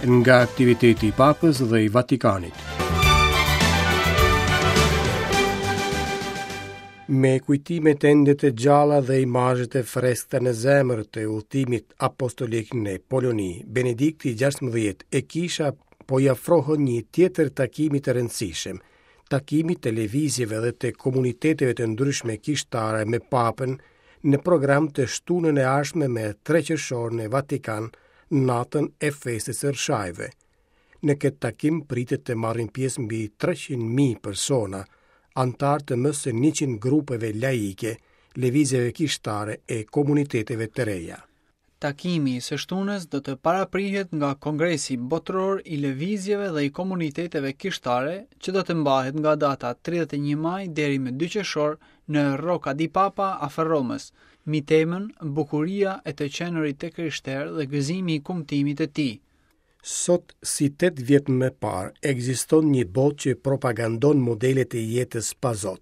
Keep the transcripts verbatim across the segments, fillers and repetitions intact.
Nga aktiviteti i Papës dhe i Vatikanit. Me kujtimet ende të gjalla dhe imazhet e freskëta në zemër të udhëtimit apostolik në Poloni, Benedikti gjashtëmbëdhjetë e kisha po i afrohen një tjetër takimi të rëndësishëm, takimit të lëvizjeve dhe të komuniteteve të ndryshme kishtare me Papën në program të shtunën e ardhshme me tre qershor në Vatikan, natën e festës së Rrshajve. Në këtë takim pritet të marrin pjesë mbi treqind mijë persona, anëtarë të më se njëqind grupeve laike, lëvizjeve kishtare e komuniteteve të reja. Takimi i së shtunës do të paraprihet nga Kongresi Botëror i Lëvizjeve dhe i Komuniteteve Kishtare, që do të mbahet nga data tridhjetë e një maj deri më dy qershor në Rocca di Papa afër Romës, mbi temën Bukuria e të qenurit të krishterë dhe gëzimi i kumtimit të tij. Sot, si tetë vjet më parë, ekziston një botë që propagandon modelet e jetës pa Zot.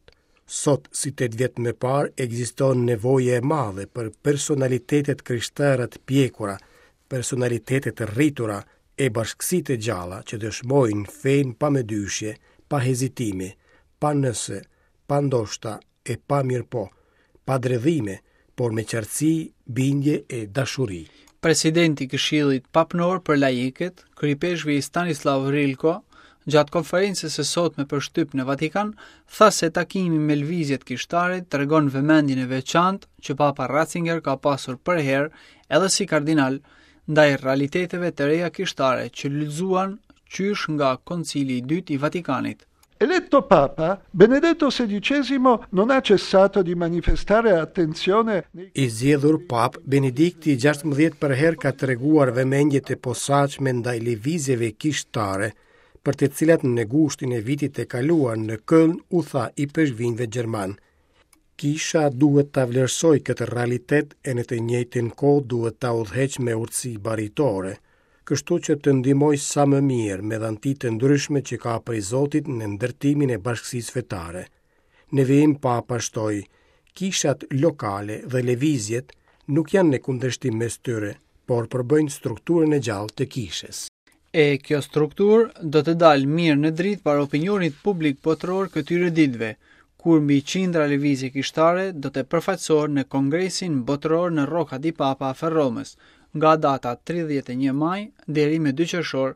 Sot, si tetë vjet më parë, ekziston nevoja e madhe për personalitetet krishtere të pjekura, personalitetet të rritura e bashkësi të gjalla që dëshmojnë fenë pa mëdyshje, pa hezitime, pa nëse, pa ndoshta e pa mirëpo, pa dredhime, por me qartësi, bindje e dashuri. Presidenti i Këshillit Papnor për Laikët, kryepeshvi Stanislav Rilko, gjatë konferencës së sotme për shtyp në Vatikan, tha se takimi me lëvizjet kishtare tregon vëmendjen e veçantë që Papa Ratzinger ka pasur përherë edhe si kardinal ndaj realiteteve të reja kishtare që lulëzuan qysh nga Koncili i Dytë i Vatikanit. Eletto Papa, Benedetto sedicesimo non ha cessato di manifestare attenzione. I zgjedhur Pap, Benedikti gjashtëmbëdhjetë përherë ka treguar vëmendje të posaçme ndaj lëvizjeve kishtare, për të cilat në gushtin e vitit të kaluar në Köln u tha i peshkvinjve gjerman. Kisha duhet ta vlerësoj këtë realitet e në të njëjtën kohë duhet ta udhëheq me urtësi baritore, kështu që të ndihmoj sa më mirë me dhanti të ndryshme që ka prej Zotit në ndërtimin e bashkësisë fetare. Në vijim Papa shtoi, kishat lokale dhe lëvizjet nuk janë në kundërshtim mes tyre, por përbëjnë strukturën e gjallë të kishës. E kjo strukturë do të dalë mirë në dritë para opinionit publik botëror këtyre ditëve, kur mbi qindra lëvizje kishtare do të përfaqësohen në Kongresin Botëror në Rocca di Papa afër Romës, nga data tridhjetë e një maj deri më dy qershor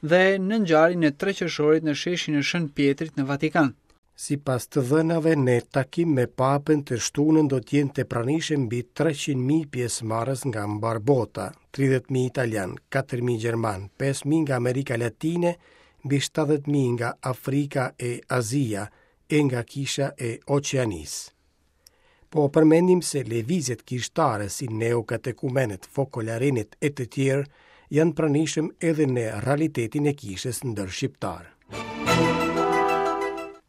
dhe në ngjarjen e tre qershorit në sheshin e Shën Pietrit në Vatikan. Sipas të dhënave, në takim me Papën të shtunën do të jenë të pranishëm mbi treqind mijë pjesëmarrës nga mbar bota, tridhjetë mijë italian, katër mijë gjerman, pesë mijë nga Amerika Latine, mbi shtatëdhjetë mijë nga Afrika e Azia e nga kisha e Oqeanisë. Po përmendim se lëvizjet kishtare si neokatekumenët, fokolarinët e të tjerë janë pranishëm edhe në realitetin e kishës ndër shqiptar.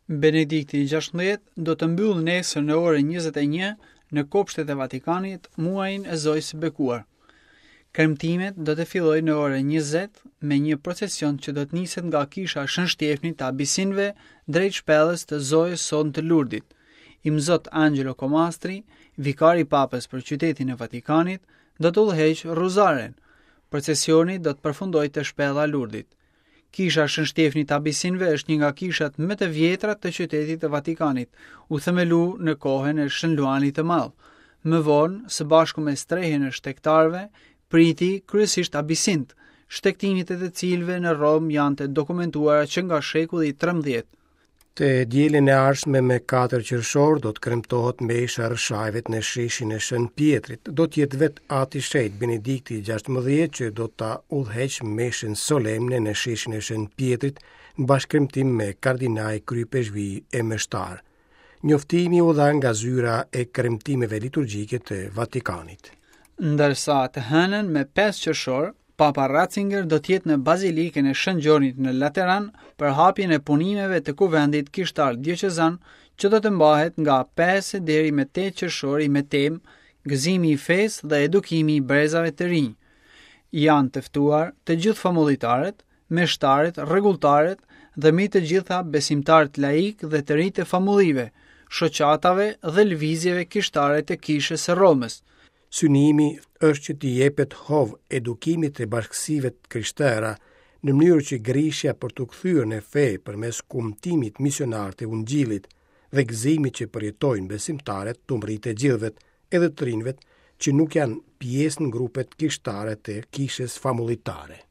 Benedikti i gjashtëmbëdhjetë do të mbyllë nesër në orën njëzet e një në kopshtet e Vatikanit muajin e Zojës së Bekuar. Kremtimet do të fillojnë në orën njëzet me një procesion që do të niset nga kisha Shën Shtjefnit të Abisinëve drejt shpellës të Zojës sonë të Lurdit. Imzot Angelo Comastri, vikari i Papës për qytetin e Vatikanit, do të udhëheqë Rruzaren. Procesioni do të përfundojë te shpella e Lurdit. Kisha Shën Shtjefnit të Abisinëve është një nga kishat më të vjetra të qytetit të Vatikanit, u themelu në kohën e Shën Luanit të Madh. Më vonë, së bashku me strehën e shtegtarëve, priti kryesisht abisint, shtegtimet e të cilëve në Romë janë të dokumentuara që nga shekulli i trembëdhjetë. Të dielën e ardhshme me katër qershor do të kremtohet mesha e Rrshajvet në sheshin e Shën Pietrit. Do të jetë vetë Ati Shenjt Benedikti i gjashtëmbëdhjetë që do ta udhëheq meshën solemne në sheshin e Shën Pietrit në bashkëkremtim me kardinaj, kryepeshvi e meshtar. Njoftimi u dha nga zyra e kremtimeve liturgjike të Vatikanit. Ndërsa të hënën me pesë qershor, Papa Ratzinger do të jetë në Bazilikën e Shën Gjonit në Lateran për hapjen e punimeve të kuvendit kishtar dioqezan që do të mbahet nga pesë deri më tetë qershori me temë Gëzimi i fesë dhe edukimi i brezave të rinj. Janë të ftuar të gjithë famullitarët, meshtarët, rregulltarët dhe mbi të gjitha besimtarët laik dhe të rinj të famullive, shoqatave dhe lëvizjeve kishtare të Kishës së Romës. Synimi është që t'i jepet hov edukimit të bashkësive të krishtera në mënyrë që grishja për t'u kthyer në fe përmes kumtimit misionar të Ungjillit dhe gëzimit që përjetojnë besimtarët t'u mbërrijë të gjithëve, edhe të rinjve që nuk janë pjesë në grupet kishtare të kishës famullitare.